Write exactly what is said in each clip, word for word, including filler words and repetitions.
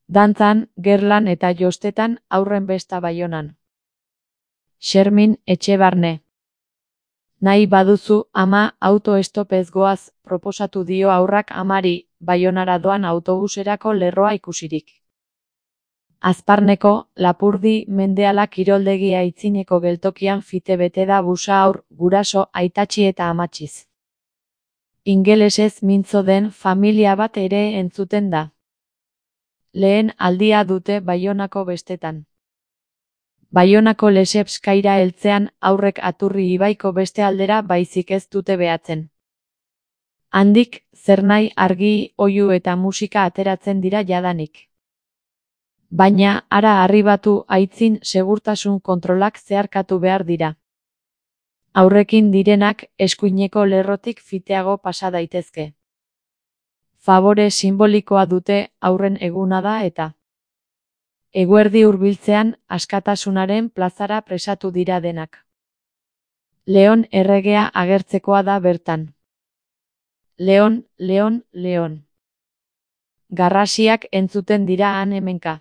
Dantzan, gerlan eta jostetan haurren besta Baionan. Xermin Etxebarne. Nahi baduzu, ama, auto-estopez goaz, proposatu dio haurrak amari, Baionara doan autobuserako lerroa ikusirik. Azparneko, Lapurdi, Mendeala kiroldegi aitzineko geltokian fite bete da busa haur, guraso, aitatxi eta amatxiz. Ingelesez mintzo den familia bat ere entzuten da. Lehen aldia dute Baionako bestetan. Baionako Lesepskaira heltzean aurrek Aturri ibaiko beste aldera baizik ez dute behatzen. Handik, zernai, argi, oihu eta musika ateratzen dira jadanik. Baina, hara arribatu aitzin segurtasun kontrolak zeharkatu behar dira. Aurrekin direnak eskuineko lerrotik fiteago pasa daitezke. Fabore simbolikoa dute aurren eguna da eta eguerdi hurbiltzean askatasunaren plazara presatu dira denak. Leon erregea agertzekoa da bertan. Leon, Leon, Leon. Garrasiak entzuten dira han hemenka.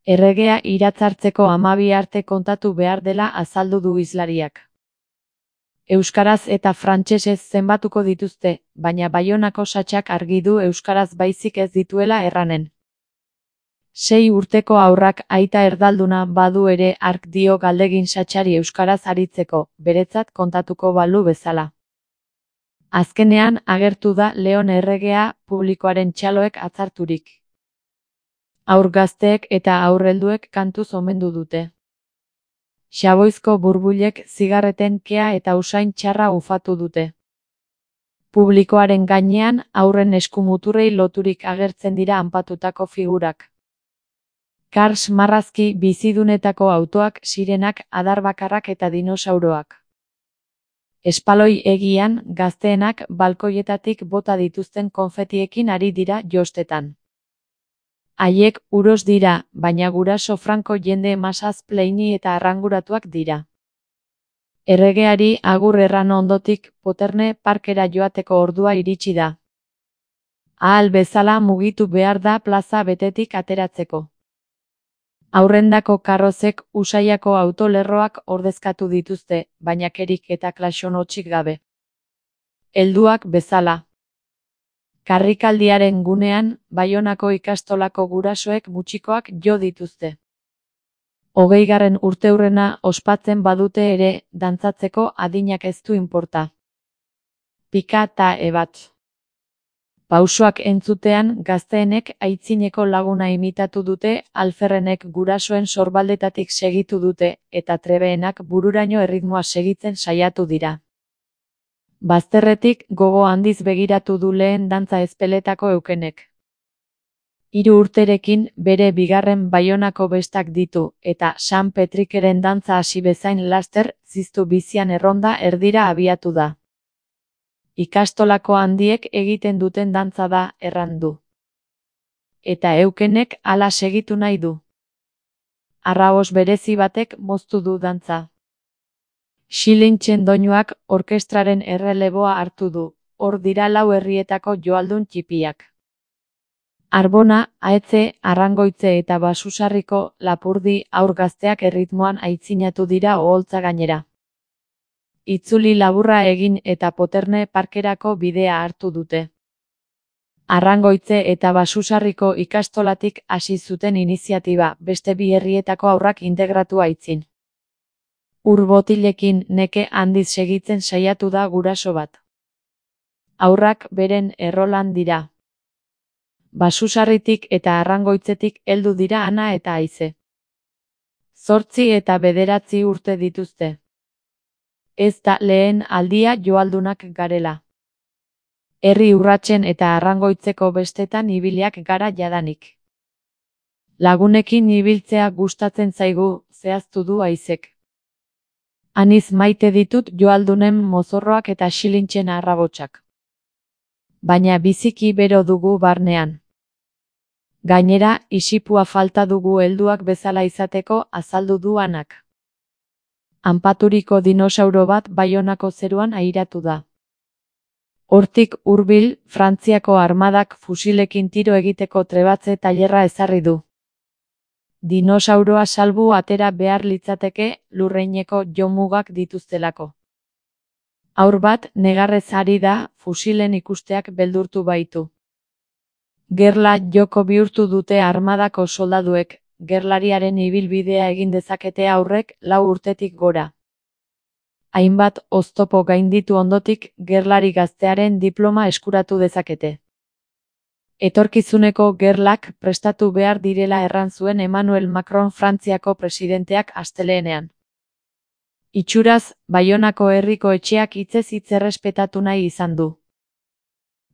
Erregea iratzartzeko hamabi arte kontatu behar dela azaldu du hizlariak. Euskaraz eta frantsesez zenbatuko dituzte, baina Baionako satsak argi du euskaraz baizik ez dituela erranen. Sei urteko haurrak aita erdalduna badu ere hark dio galdegin satsari euskaraz aritzeko, beretzat kontatuko balu bezala. Azkenean agertu da Leon erregea publikoaren txaloek atzarturik. Haur gazteek eta aurrelduek kantuz omendu dute. Xaboizko burbulek zigarreten kea eta usain txarra ufatu dute. Publikoaren gainean aurren eskumuturrei loturik agertzen dira anpatutako figurak. Kars marrazki bizidunetako autoak, sirenak, adarbakarrak eta dinosauroak. Espaloi egian, gazteenak balkoietatik bota dituzten konfetiekin ari dira jostetan. Haiek uros dira, baina guraso franko jende masaz pleini eta arranguratuak dira. Erregeari agur erran ondotik Poterne parkera joateko ordua iritsi da. Ahal bezala mugitu behar da plaza betetik ateratzeko. Aurrendako karrozek Usaiako autolerroak ordezkatu dituzte, baina kerik eta klaxonotxik gabe. Helduak bezala. Karrikaldiaren gunean, Baionako ikastolako gurasoek mutxikoak jo dituzte. Hogeigarren urteurrena ospatzen badute ere, dantzatzeko adinak ez du inporta. Pika ta ebat. Pausoak entzutean gazteenek aitzineko laguna imitatu dute, alferrenek gurasoen sorbaldetatik segitu dute, eta trebeenak bururaino erritmoa segitzen saiatu dira. Bazterretik gogo handiz begiratu du lehen dantza ezpeletako eukenek. Hiru urterekin bere bigarren Baionako bestak ditu, eta San Petrikeren dantza hasi bezain laster, ziztu bizian erronda erdira abiatu da. Ikastolako handiek egiten duten dantza da, erran du. Eta eukenek hala segitu nahi du. Arraos berezi batek moztu du dantza. Xilintzen doinuak orkestraren erreleboa hartu du, hor dira lau herrietako joaldun txipiak. Arbona, Ahetze, Arrangoitze eta Basusarriko Lapurdi haur gazteak erritmoan aitzinatu dira oholtza gainera. Itzuli laburra egin eta Poterne parkerako bidea hartu dute. Arrangoitze eta Basusarriko ikastolatik hasi zuten iniziatiba, beste bi herrietako haurrak integratu aitzin. Ur botilekin neke handiz segitzen saiatu da guraso bat. Haurrak beren errolan dira. Basusarritik eta Arrangoitzetik heldu dira Ana eta Aize. Zortzi eta bederatzi urte dituzte. Ez da lehen aldia joaldunak garela. Herri urratsen eta Arrangoitzeko bestetan ibiliak gara jadanik. Lagunekin ibiltzea gustatzen zaigu, zehaztu du Aizek. Aniz maite ditut joaldunen mozorroak eta xilintzen arrabotsak. Baina biziki bero dugu barnean. Gainera, isipua falta dugu helduak bezala izateko, azaldu du Anak. Anpaturiko dinosauro bat Baionako zeruan airatu da. Hortik hurbil, Frantziako armadak fusilekin tiro egiteko trebatze tailerra ezarri du. Dinosauroa salbu atera behar litzateke lurreineko jomugak dituztelako. Haur bat negarrez ari da, fusilen ikusteak beldurtu baitu. Gerla joko bihurtu dute armadako soldaduek, gerlariaren ibilbidea egin dezakete haurrek lau urtetik gora. Hainbat oztopo gainditu ondotik gerlari gaztearen diploma eskuratu dezakete. Etorkizuneko gerlak prestatu behar direla erran zuen Emmanuel Macron Frantziako presidenteak astelehenean. Itxuraz, Baionako herriko etxeak hitzez hitz errespetatu nahi izan du.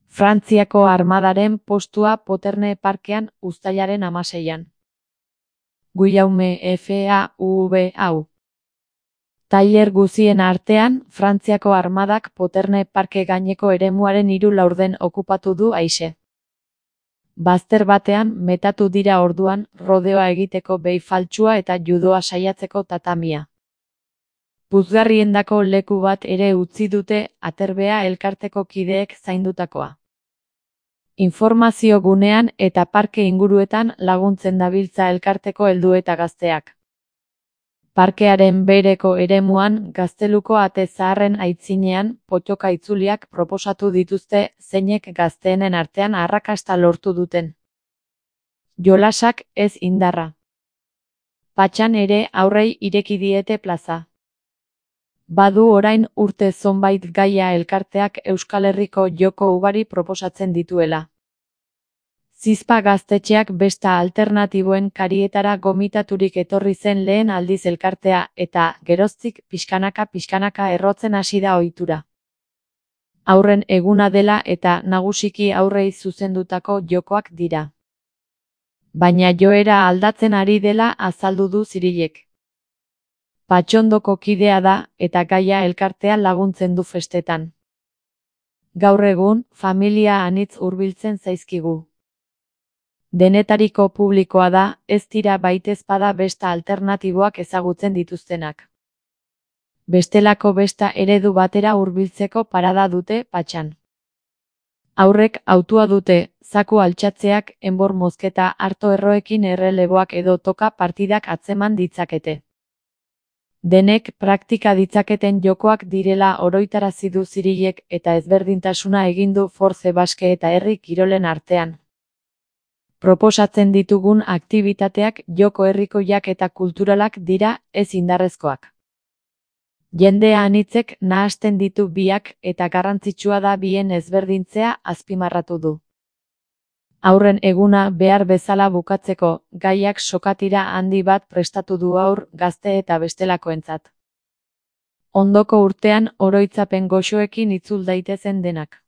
Frantziako armadaren postua Poterne parkean uztailaren hamaseian. Guillaume F A U B hau. Tailer guzien artean, Frantziako armadak Poterne parke gaineko eremuaren hiru laurden okupatu du aise. Bazter batean metatu dira orduan rodeoa egiteko behi faltsua eta judoa saiatzeko tatamia. Puzgarriendako leku bat ere utzi dute Aterbea elkarteko kideek zaindutakoa. Informazio gunean eta parke inguruetan laguntzen dabiltza elkarteko heldu eta gazteak. Parkearen behereko eremuan gazteluko ate zaharren aitzinean pottoka itzuliak proposatu dituzte zeinek gazteenen artean arrakasta lortu duten. Jolasak ez indarra. Patxan ere aurrei ireki diete plaza. Badu orain urte zonbait gaia elkarteak Euskal Herriko joko ugari proposatzen dituela. Zizpa gaztetxeak besta alternatiboen karietara gomitaturik etorri zen lehen aldiz elkartea eta, geroztik, pixkanaka pixkanaka errotzen hasi da ohitura. Haurren eguna dela eta nagusiki haurrei zuzendutako jokoak dira. Baina joera aldatzen ari dela azaldu du Zirilek. Patxondoko kidea da eta gaia elkartea laguntzen du festetan. Gaur egun, familia anitz hurbiltzen zaizkigu. Denetariko publikoa da, ez dira baitezpada besta alternatiboak ezagutzen dituztenak. Bestelako besta eredu batera hurbiltzeko parada dute Patxan. Haurrek hautua dute, zaku altxatzeak, enbor mozketa, arto erroekin erreleboak edo toka partidak atzeman ditzakete. Denek praktika ditzaketen jokoak direla oroitarazi du Zirilek eta ezberdintasuna egin du Force Baske eta herri kirolen artean. Proposatzen ditugun aktibitateak joko herrikoiak eta kulturalak dira, ez indarrezkoak. Jendea anitzek nahasten ditu biak eta garrantzitsua da bien ezberdintzea azpimarratu du. Haurren eguna behar bezala bukatzeko, gaiak sokatira handi bat prestatu du haur, gazte eta bestelakoentzat. Ondoko urtean oroitzapen goxoekin itzul daitezen denak.